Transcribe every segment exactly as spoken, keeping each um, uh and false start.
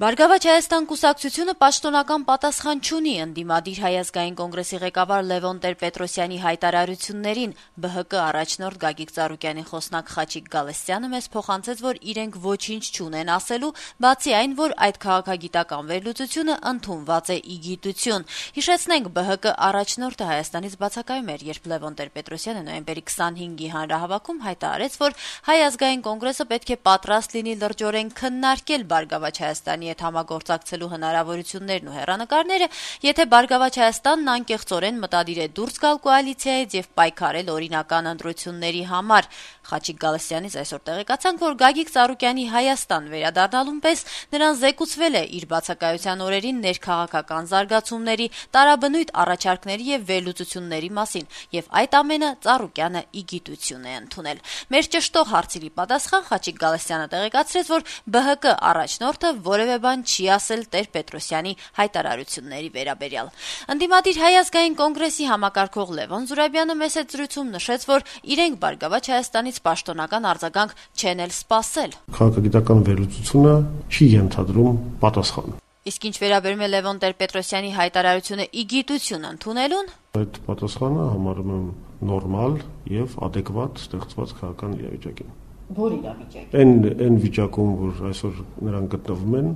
Բարգավաճ Հայաստան կուսակցությունը պաշտոնական պատասխան չունի ընդդիմադիր Հայ ազգային կոնգրեսի ղեկավար Լևոն Տեր-Պետրոսյանի հայտարարություններին։ Բը հը կը առաջնորդ Գագիկ Ծառուկյանի խոսնակ Խաչիկ Գալստյանը մեզ փոխանցեց, որ իրենք ոչինչ չունեն ասելու, բացի այն, որ այդ քաղաքագիտական վերլուծությունը ընդունված է ի գիտություն։ Հիշեցնենք, բը հը կը առաջնորդը Հայաստանից բացակայում էր, երբ Լևոն Տեր-Պետրոսյանը նոյեմբերի քսանհինգի հանրահավաքում հայտարարեց, որ Հայ ազգային կոնգրեսը պետք է պատրաստ լինի լրջորեն քննարկել Բարգավաճ Հայաստանի հետ համագործակցելու հնարավորություններն ու հեռանկարները, եթե Բարգավաճ Հայաստանն անկեղծորեն մտադիր է դուրս գալ կոալիցիայից եւ պայքարել օրինական ընտրությունների համար։ Խաչիկ Գալստյանից այսօր տեղեկացանք, որ Գագիկ Ծառուկյանի Հայաստան վերադառնալուն պես նրան զեկուցվել է իր բացակայության օրերին ներքաղաքական զարգացումների, տարաբնույթ առաջարկների եւ վերլուծությունների մասին, եւ այդ ամենը Ծառուկյանը ի գիտություն է ընդունել։ Մեր ճշտող հարցերի պատասխան Խաչիկ Գալստյանը տեղեկացրեց, որ բը հը կը առաջնորդը որևէ բան չի ասել Տեր-Պետրոսյանի հայտարարությունների վերաբերյալ։ Ընդդիմադիր Հայ ազգային կոնգրեսի համակարգող Լևոն Զուրաբյանը մեծ զրույցում նշեց, որ իրենք Բարգավաճ Հայաստանից պաշտոնական արձագանք չեն էլ սպասել։ Քաղաքագիտական վերլուծությունը չի ենթադրում պատասխան։ Իսկ ինչ վերաբերում է Լևոն Տեր-Պետրոսյանի հայտարարությունը ի գիտություն ընդունելուն, այդ պատասխանը համարում եմ նորմալ եւ adekvat ստեղծված քաղաքական իրավիճակին։ Որ իրավիճակ։ Այն այն վիճակում, որ այսօր նրանք գտնվում են,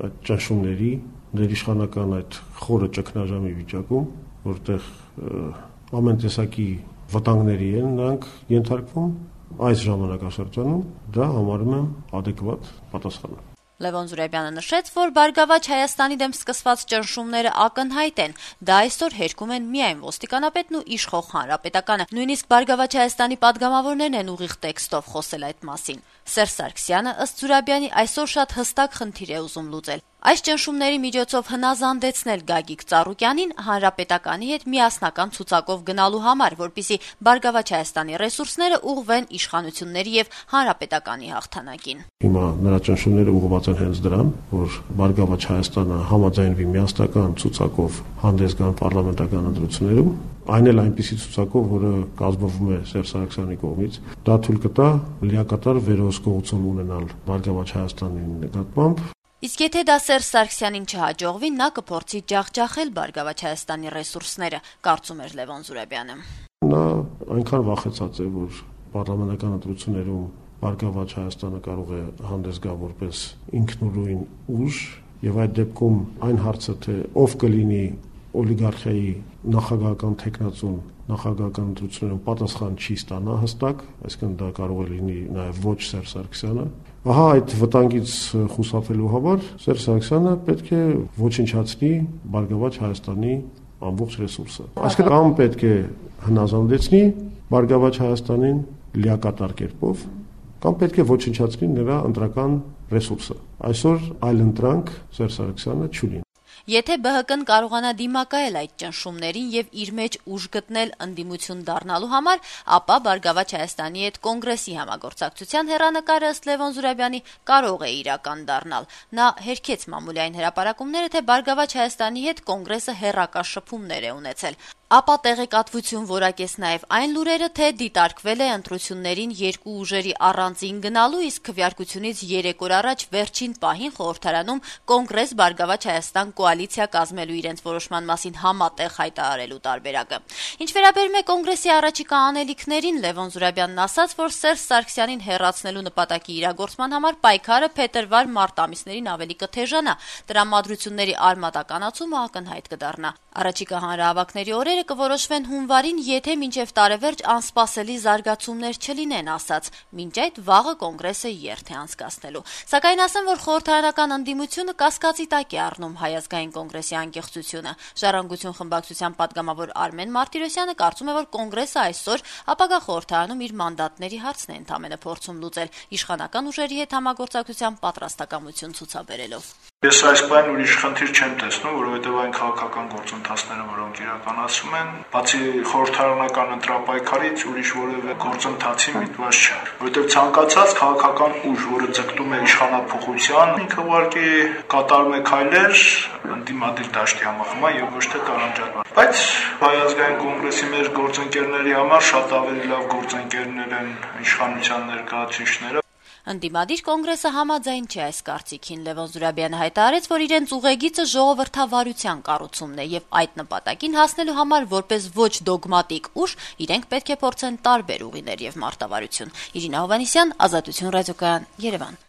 այդ ճնշումների, ներիշխանական այդ խորը ճգնաժամի վիճակում, որտեղ ամեն տեսակի վտանգների են նրանք ենթարկվում, այս ժամանակաշրջանում դա համարում եմ adekvat պատասխան։ Լևոն Զուրաբյանը նշեց, որ Բարգավաճ Հայաստանի դեմ սկսված ճնշումները ակնհայտ են, դա այսօր հերքում են միայն ոստիկանապետն ու իշխող հանրապետականը, նույնիսկ Բարգավաճ Հայաստանի падգամավորներն են ուղիղ տեքստով խոսել այդ մասին։ Սերժ Սարգսյանը ըստ Զուրաբյանի այսօր շատ հստակ խնդիր է ուզում լուծել։ Այս ճնշումների միջոցով հնազանդեցնել Գագիկ Ծառուկյանին հանրապետականի հետ միասնական ցուցակով գնալու համար, որպեսզի Բարգավաճ Հայաստանի ռեսուրսները ուղղվեն իշխանությունների եւ հանրապետականի հաղթանակին։ Հիմա նրա ճնշումները ուղղված են հենց դրան, որ Բարգավաճ Հայաստանը համաձայնվի միասնական ցուցակով հանդես գան պարլամենտական ընտրություններում, այն էլ այնպիսի ցուցակով, որը կազմվում է Սերժ Սարգսյանի կողմից, դա թույլ կտա լիակատար վերահսկողություն ունենալ Բարգավաճ Հայաստանի նկատմամբ։ Իսկ եթե դա Սերժ Սարգսյանին չհաջողվի, նա կփորձի ջախջախել Բարգավաճ Հայաստանի ռեսուրսները, կարծում էր Լևոն Զուրաբյանը։ Նա այնքան վախեցած է, որ պարլամենտական ընտրություններում Բարգավաճ Հայաստանը կարող է հանդես գալ որպես ինքնուրույն ուժ, եւ այդ դեպքում այն հարցը, թե ով կլինի օլիգարխիայի նախագահական տեխնացուն նախագահական ընտրություններում պատասխան չի ստանա հստակ, այսինքն դա կարող է լինի նաև ոչ Սերժ Սարգսյանը։ Ահա այդ վտանգից խուսափելու համար Սերժ Սարգսյանը պետք է ոչնչացնի Բարգավաճ Հայաստանի ամբողջ ռեսուրսը։ Այսինքն կամ պետք է հնազանդեցնի Բարգավաճ Հայաստանին լիակատար կերպով, կամ պետք է ոչնչացնի նրա ընտրական ռեսուրսը։ Այսօր այլ ընտրանք Սերժ Սարգսյանը չունի։ Եթե բը հը կն կարողանա դիմակայել այդ ճնշումներին եւ իր մեջ ուժ գտնել ընդդիմություն դառնալու համար, ապա Բարգավաճ Հայաստանի հետ կոնգրեսի համագործակցության հեռանկարը ըստ Լևոն Զուրաբյանի կարող է իրական դառնալ։ Նա հերքեց մամուլային հրապարակումները, թե Բարգավաճ Հայաստանի հետ կոնգրեսը հեռակա շփումներ է ունեցել։ Ապա տեղեկատվություն որակեց նաև այն լուրերը, թե դիտարկվել է ընտրություններին երկու ուժերի առանձին գնալու, իսկ քվեարկությունից երեք օր առաջ վերջին պահին խորհրդարանում կոնգրես Բարգավաճ Հայաստան կոալիցիա կազմելու իրենց որոշման մասին համատեղ հայտարարելու տարբերակը։ Ինչ վերաբերում է կոնգրեսի առաջիկա անելիքներին, Լևոն Զուրաբյանն ասաց, որ Սերժ Սարգսյանին հեռացնելու նպատակի իրագործման համար պայքարը փետրվար-մարտ ամիսներին ավելի կթեժանա, տրամադրությունների արմատականացումը ակնհայտ կդառնա։ Առաջիկա հանրահավաքների օրերը կորոշվեն հունվարին, եթե մինչև տարեվերջ անսպասելի զարգացումներ չլինեն, ասաց, մինչ այդ վաղը կոնգրեսը երթ է անցկացնելու։ Սակայն ասեմ, որ խորհրդարանական ընդդիմությունը կասկածի տակ է առնում Հայ ազգային կոնգրեսի անկեղծությունը։ Ժառանգություն խմբակցության падգամավոր Արմեն Մարտիրոսյանը կարծում է, որ կոնգրեսը այսօր ապագա խորհրդարանում իր մանդատների հարցն է ընդամենը փորձում լուծել, իշխանական ուժերի հետ համագործակցության պատրաստակամություն ցուցաբերելով։ Ես այս բան ուրիշ խնդիր չեմ տեսնում, որովհետև այն քաղաքական գործընթացները, որոնք իրականացվում են, բացի խորհրդարանական ընտրապայքարից ուրիշ որևէ գործընթացի միտված չէ, որովհետև ցանկացած քաղաքական ուժ, որը ձգտում է իշխանափոխության, ինքը ուղղակի կատարում է քայլեր ընդդիմադիր դաշտի համախմբման եւ ոչ թե տարանջատման։ Բայց Հայ ազգային կոնգրեսի մեր գործընկերների համար շատ ավելի լավ գործընկերներ են իշխանության ներկայացուցիչները։ Ընդդիմադիր կոնգրեսը համաձայն չէ այս կարծիքին։ Լևոն Զուրաբյանը հայտարարեց, որ իրենց ուղեգիծը ժողովրդավարության կառուցումն է եւ այդ նպատակին հասնելու համար որպես ոչ դոգմատիկ ուժ իրենք պետք է փորձեն տարբեր ուղիներ եւ մարտավարություն։ Իրինա Հովհաննիսյան, Ազատություն ռադիոկայան, Երևան։